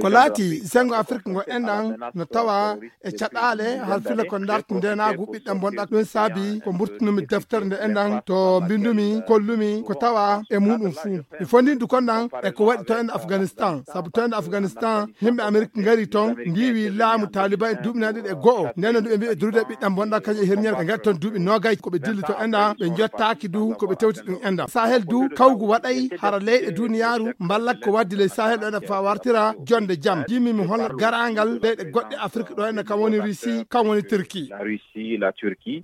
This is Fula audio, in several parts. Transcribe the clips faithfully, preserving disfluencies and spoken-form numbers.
Ko laati senngo Afrik ngo enɗan no tawa e caɗaale har filla ko ndarti ndenaagu ɓiɗɗan bonɗa. Ɗum saabi ko mburtunumi deftere nde enɗan to mbindumi kollumi ko tawa e muɗum fuu. Mi fondindu kon ɗan e ko waɗi to enɗan Afganistan. Sabu to enɗan Afganistan, yimɓe Amerik ngari ton, ndiwi laamu Taliban e duuɓi nayi ɗiɗi e go'o. Nden no ɗum ɓe mbi'i durude ɓiɗɗan bonɗa kañum e herñere ɓe ngari ton duuɓi noogay ko ɓe dilli to enɗan, ɓe njottaaki du ko ɓe tewti ɗum enɗan. Sahel du kawgu waɗay hara leyɗe duniyaaru mballak ko waddi ley Sahel ɗo enɗan fa wartira jonde jam. Jimmi mi holla garangal leyɗe goɗɗe Afrik ɗo enɗan kam woni Russie, kam woni Turquie.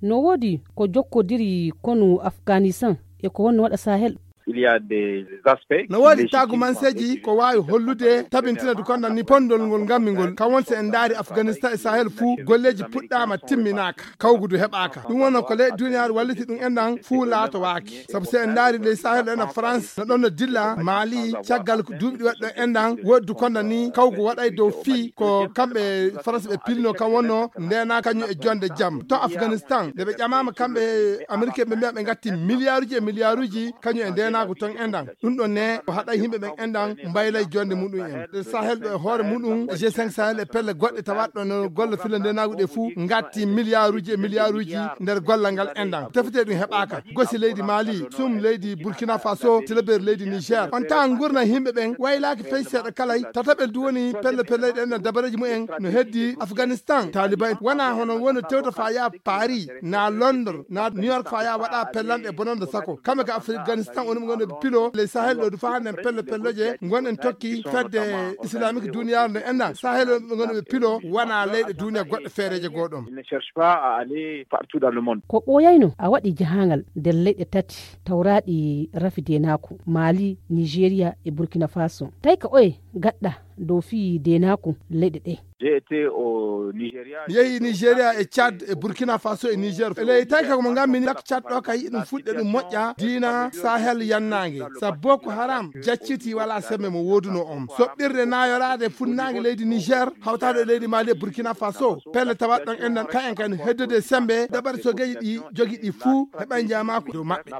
No woodi ko jokkodiri konu Afganistan e ko wonno waɗa Sahel. No woodi taagumanseeji ko waawi hollude tabintina du kondan ni pondol ngol ngammi ngol. Kam won si en ndaari Afganistan e Sahel fuu golleeji puɗɗaama timminaaka, kawgu du heɓaaka. Ɗum wonno ko leyɗe duniyaaru walliti ɗum enɗan fuu laatowaaki. Sabu si en ndaari ley Sahel ɗo enɗan France no ɗon no dilla Mali, caggal ko duuɓi ɗi waɗi ɗo enɗan woodi du kondan ni kawgu waɗay dow fii ko kamɓe France ɓe pilno kam wonno ndenaa kañum e jonde jam. To Afganistan nde ɓe ƴamaama kamɓe Amerike ɓe mbiya ɓe ngatti miliyaaruji e miliyaaruji kañum e ndenaagu ton enɗan. Ɗum ɗon ne o haɗay yimɓe ɓen enɗan mbaylay jonde muɗum en. Ɗe Sahel ɗo e hoore muɗum, G cinq Sahel e pelle goɗɗe tawaɗo no golla filla ndenaagu ɗe fuu ngatti miliyaaruji e miliyaaruji nder gollal ngal enɗan. Tefete ɗum heɓaaka. Gosi leydi Mali, sum leydi Burkina Faso, tilaberi leydi Niger. On taa ngurna yimɓe ɓen waylaaki fey seeɗa kalay. Tataɓel du woni pelle pelle ɗen no dabareeji mumen no heddi Afganistan. Taliban wona hono woni tewta fa yaa Paris, na Londres, na New York fa yaa waɗa pellanɗe bononde sako. Kamɓe ka Afganistan woni ɓe ngonɗo ɓe pilo ley Sahel ɗo du fa hannde en pelle pelloje ngonɗen tokki fedde islamique duniyaaru nde enɗan. Sahel woni ɓe ngonɗo ɓe pilo wona leyɗe duniya goɗɗe feereeje goo ɗon. Ko ɓooyayno a waɗi jahaangal nder leyɗe tati tawraaɗi rafi deenaaku, Mali, Nigeria e Burkina Faso. Tawi ka oye gaɗɗa dow fii deenaaku leyɗe ɗe? Mi yehi Nigeria e Tchad e Burkina Faso e Niger. E ley tawi ka ko mo ngammi ni lak Tchad ɗo ka yiɗi ɗum fuɗɗe ɗum moƴƴa diina Sahel yannaange. Sabu Boko Haram jacciti wala sembe mo wooduno on. Soɓɓirde nayoraade funnaange leydi Niger hawtaade e leydi Mali e Burkina Faso. Pelle tawat ɗon enɗan ka en kan heddude sembe dabar sogeji ɗi jogi ɗi fuu heɓa njamaaku dow maɓɓe.